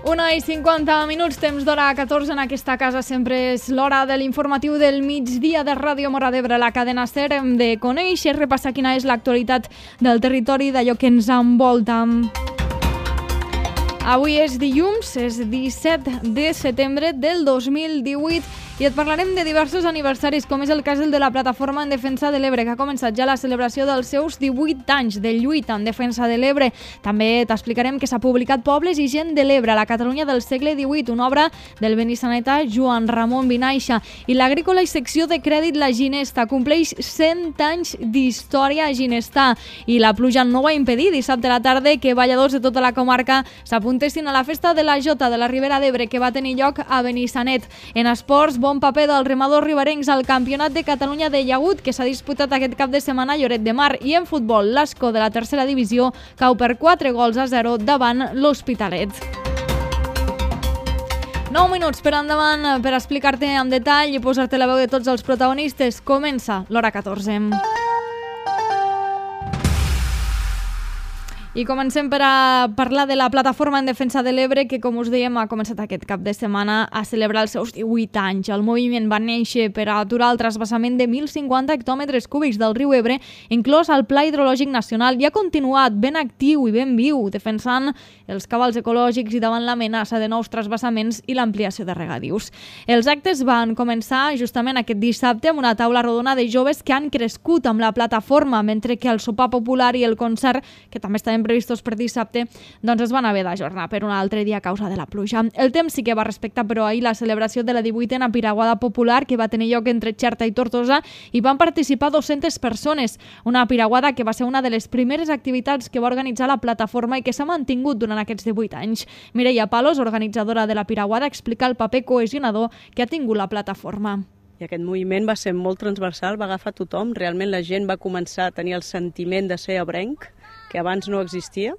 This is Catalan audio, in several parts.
1:50, temps d'hora 14 en aquesta casa. Sempre és l'hora de l'informatiu del migdia de Ràdio Móra d'Ebre, la cadena SER. Hem de conèixer, repassar quina és l'actualitat del territori, d'allò que ens envolta. Avui és dilluns, és 17 de setembre del 2018 i et parlarem de diversos aniversaris, com és el cas del de la Plataforma en Defensa de l'Ebre, que ha començat ja la celebració dels seus 18 anys de lluita en defensa de l'Ebre. També t'explicarem que s'ha publicat Pobles i gent de l'Ebre, a la Catalunya del segle XVIII, una obra del benissanetà Joan Ramon Vinaixa. I l'Agrícola i secció de crèdit La Ginesta compleix 100 anys d'història a Ginestar. I la pluja no va impedir dissabte a la tarda que balladors de tota la comarca s'apuntessin a la festa de la Jota de la Ribera d'Ebre, que va tenir lloc a Benissanet. En esports, bon paper dels remadors riberencs al Campionat de Catalunya de llagut, que s'ha disputat aquest cap de setmana a Lloret de Mar. I en futbol, l'Ascó de la tercera divisió cau per 4-0 davant l'Hospitalet. 9 minuts per endavant per explicar-te en detall i posar-te la veu de tots els protagonistes. Comença l'hora 14. I comencem per a parlar de la Plataforma en Defensa de l'Ebre, que, com us dèiem, ha començat aquest cap de setmana a celebrar els seus 18 anys. El moviment va néixer per a aturar el trasbassament de 1.050 hectòmetres cúbics del riu Ebre, inclòs al Pla Hidrològic Nacional, i ha continuat ben actiu i ben viu, defensant els cabals ecològics i davant l'amenaça de nous trasbassaments i l'ampliació de regadius. Els actes van començar justament aquest dissabte amb una taula rodona de joves que han crescut amb la plataforma, mentre que el sopar popular i el concert, que també estaven previstos per dissabte, doncs es van haver d'ajornar per un altre dia a causa de la pluja. El temps sí que va respectar, però ahir, la celebració de la 18a Piraguada Popular, que va tenir lloc entre Xerta i Tortosa, i van participar 200 persones. Una piraguada que va ser una de les primeres activitats que va organitzar la plataforma i que s'ha mantingut durant aquests 18 anys. Mireia Palos, organitzadora de la Piraguada, explica el paper cohesionador que ha tingut la plataforma. I aquest moviment va ser molt transversal, va agafar tothom. Realment la gent va començar a tenir el sentiment de ser ebrenc, que abans no existia,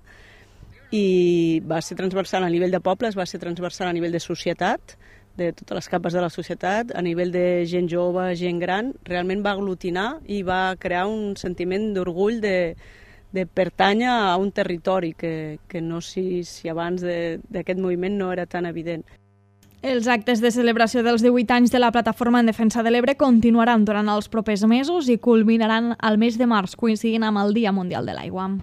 i va ser transversal a nivell de pobles, va ser transversal a nivell de societat, de totes les capes de la societat, a nivell de gent jove, gent gran. Realment va aglutinar i va crear un sentiment d'orgull de pertànyer a un territori que no sé si abans d'aquest moviment no era tan evident. Els actes de celebració dels 18 anys de la Plataforma en Defensa de l'Ebre continuaran durant els propers mesos i culminaran al mes de març, coincidint amb el Dia Mundial de l'Aigua.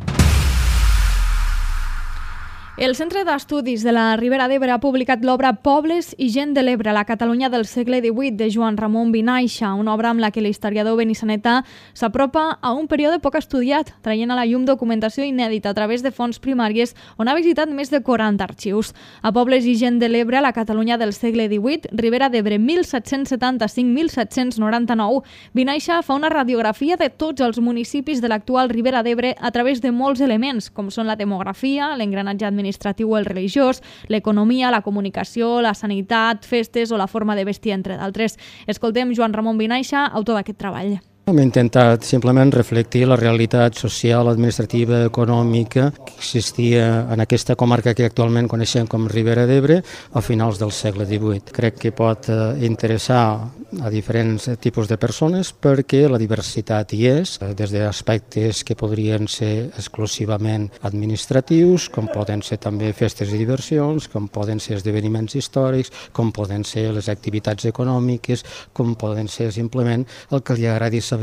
El Centre d'Estudis de la Ribera d'Ebre ha publicat l'obra Pobles i gent de l'Ebre, a la Catalunya del segle XVIII, de Joan Ramon Vinaixa, una obra amb la que l'historiador benissanetà s'apropa a un període poc estudiat, traient a la llum documentació inèdita a través de fonts primàries, on ha visitat més de 40 arxius. A Pobles i gent de l'Ebre, a la Catalunya del segle XVIII, Ribera d'Ebre 1775-1799, Vinaixa fa una radiografia de tots els municipis de l'actual Ribera d'Ebre a través de molts elements, com són la demografia, l'engranatge administratiu o el religiós, l'economia, la comunicació, la sanitat, festes o la forma de vestir, entre d'altres. Escoltem Joan Ramon Vinaixa, autor d'aquest treball. Hem intentat simplement reflectir la realitat social, administrativa, econòmica que existia en aquesta comarca que actualment coneixem com Ribera d'Ebre a finals del segle XVIII. Crec que pot interessar a diferents tipus de persones perquè la diversitat hi és, des d'aspectes que podrien ser exclusivament administratius, com poden ser també festes i diversions, com poden ser esdeveniments històrics, com poden ser les activitats econòmiques, com poden ser simplement el que li agradi saber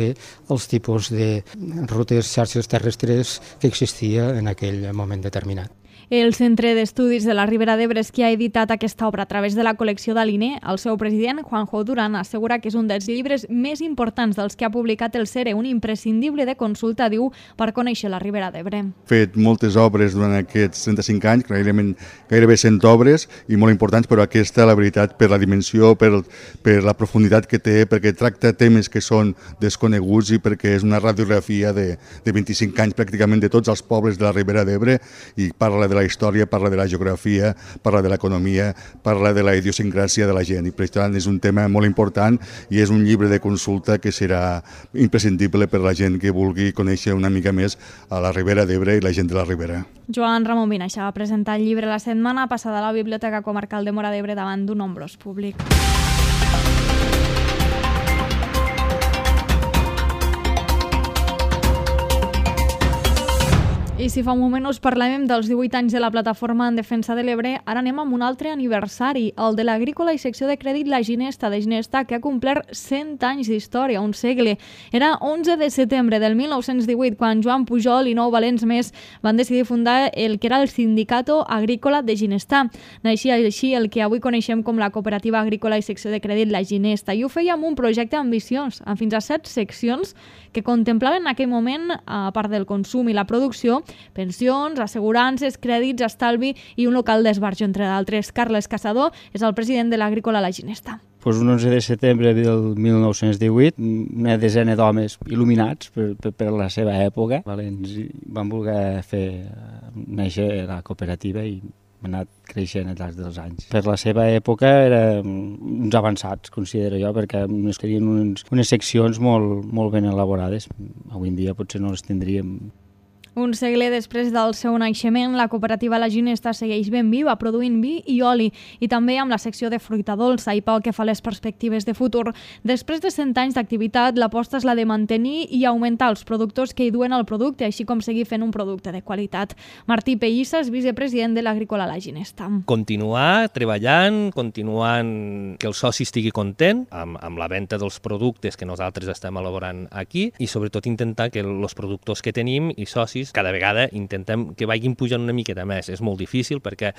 els tipus de rutes, xarxes terrestres que existia en aquell moment determinat. El Centre d'Estudis de la Ribera d'Ebre és qui ha editat aquesta obra a través de la col·lecció d'Aliné. El seu president, Juanjo Durán, assegura que és un dels llibres més importants dels que ha publicat el CERE, un imprescindible de consulta, diu, per conèixer la Ribera d'Ebre. He fet moltes obres durant aquests 35 anys, gairebé 100 obres, i molt importants, però aquesta, la veritat, per la dimensió, per la profunditat que té, perquè tracta temes que són desconeguts i perquè és una radiografia de 25 anys pràcticament de tots els pobles de la Ribera d'Ebre i parla de la història, parla de la geografia, parla de l'economia, parla de la idiosincràsia de la gent, i per tant és un tema molt important i és un llibre de consulta que serà imprescindible per a la gent que vulgui conèixer una mica més a la Ribera d'Ebre i la gent de la Ribera. Joan Ramon Vinaixa va presentar el llibre la setmana passada a la Biblioteca Comarcal de Móra d'Ebre davant d'un nombrós públic. I si fa un moment us parlàvem dels 18 anys de la Plataforma en Defensa de l'Ebre, ara anem amb un altre aniversari, el de l'Agrícola i Secció de Crèdit La Ginesta de Ginesta, que ha complert 100 anys d'història, un segle. Era 11 de setembre del 1918 quan Joan Pujol i 9 valents més van decidir fundar el que era el Sindicato Agrícola de Ginesta. Naixia així el que avui coneixem com la Cooperativa Agrícola i Secció de Crèdit La Ginesta, i ho feia amb un projecte ambiciós, amb fins a 7 seccions que contemplaven en aquell moment, a part del consum i la producció, pensions, assegurances, crèdits, estalvi i un local d'esbarjo, entre d'altres. Carles Caçador és el president de l'Agrícola La Ginesta. Un 11 de setembre del 1918, una desena d'homes il·luminats per la seva època, valents, van voler fer néixer la cooperativa i ha anat creixent al llarg dels anys. Per la seva època eren uns avançats, considero jo, perquè ens tenien unes seccions molt ben elaborades. Avui en dia potser no les tindríem. Un segle després del seu naixement, la cooperativa La Ginesta segueix ben viva, produint vi i oli, i també amb la secció de fruita dolça. I pel que fa a les perspectives de futur, després de 100 anys d'activitat, l'aposta és la de mantenir i augmentar els productors que hi duen el producte, així com seguir fent un producte de qualitat. Martí Pellissa és vicepresident de l'Agrícola La Ginesta. Continuar treballant, continuant que el soci estigui content amb la venda dels productes que nosaltres estem elaborant aquí i sobretot intentar que els productors que tenim i socis cada vegada intentem que vagin pujant una miqueta més. És molt difícil perquè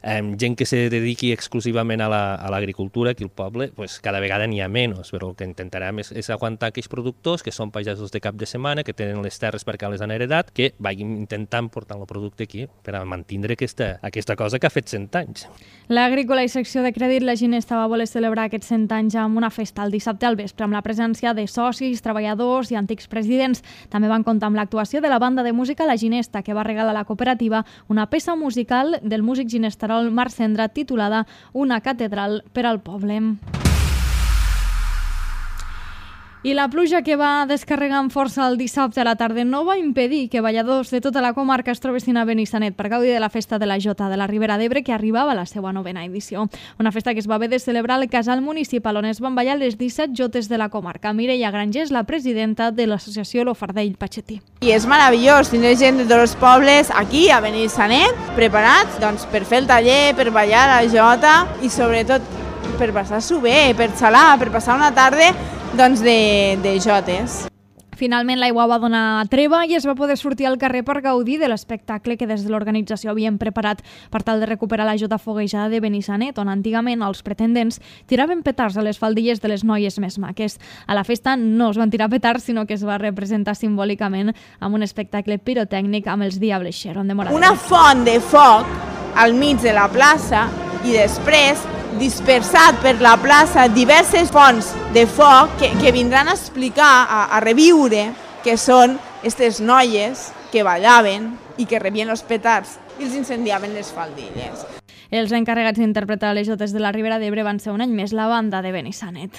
gent que se dediqui exclusivament a l'agricultura aquí al poble, pues, cada vegada n'hi ha menys, però el que intentarem és aguantar aquells productors que són pagesos de cap de setmana, que tenen les terres perquè les han heredat, que vagin intentant portar el producte aquí per a mantenir aquesta cosa que ha fet 100 anys. L'Agrícola i Secció de Crèdit La Ginesta va voler celebrar aquests 100 anys amb una festa el dissabte al vespre, amb la presència de socis, treballadors i antics presidents. També van comptar amb l'actuació de la banda de música La Ginesta, que va regalar a la cooperativa una peça musical del músic ginesterol Marc Cendra titulada Una catedral per al poble. I la pluja que va descarregar amb força el dissabte a la tarda no va impedir que balladors de tota la comarca es trobessin a Benissanet per gaudir de la festa de la Jota de la Ribera d'Ebre, que arribava a la seva 9ª edició. Una festa que es va haver de celebrar al casal municipal, on es van ballar les 17 jotes de la comarca. Mireia Granger és la presidenta de l'associació Lo Fardell Patxetí. I és meravellós tindre gent de tots els pobles aquí a Benissanet preparats per fer el taller, per ballar la Jota i sobretot per passar-s'ho bé, per xalar, per passar una tarda de jotes. Finalment l'aigua va donar treva i es va poder sortir al carrer per gaudir de l'espectacle que des de l'organització havien preparat per tal de recuperar la Jota foguejada de Benissanet, on antigament els pretendents tiraven petards a les faldilles de les noies més maques. A la festa no es van tirar petards, sinó que es va representar simbòlicament amb un espectacle pirotècnic amb els Diables Xeron de Moradell. Una font de foc al mig de la plaça i després dispersat per la plaça diverses fonts de foc que vindran a explicar, a reviure, que són aquestes noies que ballaven i que rebien els petards i els incendiaven les faldilles. Els encarregats d'interpretar les jotes de la Ribera d'Ebre van ser un any més la banda de Benissanet.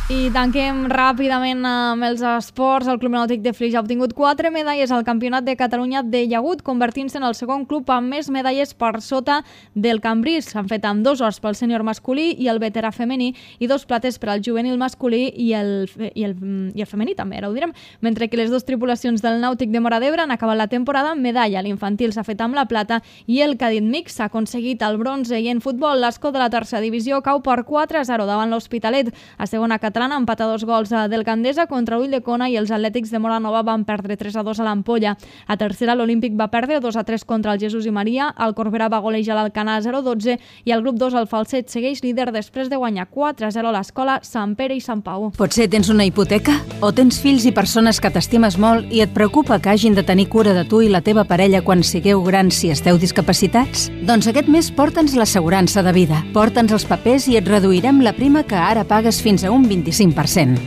I tanquem ràpidament amb els esports. El Club Nàutic de Flix ha obtingut 4 medalles al Campionat de Catalunya de llagut, convertint-se en el segon club amb més medalles per sota del Cambrils. S'han fet amb 2 ors pel sènior masculí i el veterà femení i 2 plates per al juvenil masculí i el femení també, ara ho direm. Mentre que les 2 tripulacions del Nàutic de Móra d'Ebre han acabat la temporada amb medalla. L'infantil s'ha fet amb la plata i el cadet mix s'ha aconseguit el bronze. I en futbol, l'Escó de la tercera divisió cau per 4-0 davant l'Hospitalet. A segona catalana empata 2 gols del Gandesa contra Ulldecona i els Atlètics de Móra Nova van perdre 3-2 a l'Ampolla. A tercera, l'Olímpic va perdre 2-3 contra el Jesús i Maria, el Corbera va golejar l'Alcanar 0-12 i el grup 2, el Falset, segueix líder després de guanyar 4-0 a l'Escola Sant Pere i Sant Pau. Potser tens una hipoteca? O tens fills i persones que t'estimes molt i et preocupa que hagin de tenir cura de tu i la teva parella quan sigueu grans si esteu discapacitats? Doncs aquest mes porta'ns l'assegurança de vida. Porta'ns els papers i et reduirem la prima que ara pagues fins a un 25%.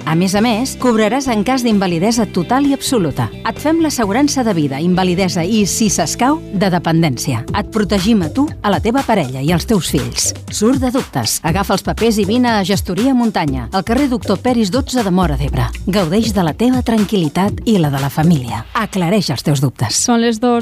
A més, cobraràs en cas d'invalidesa total i absoluta. Et fem l'assegurança de vida, invalidesa i, si s'escau, de dependència. Et protegim a tu, a la teva parella i als teus fills. Surt de dubtes. Agafa els papers i vine a Gestoria Muntanya, al carrer Doctor Peris 12 de Móra d'Ebre. Gaudeix de la teva tranquil·litat i la de la família. Aclareix els teus dubtes. Són les 2.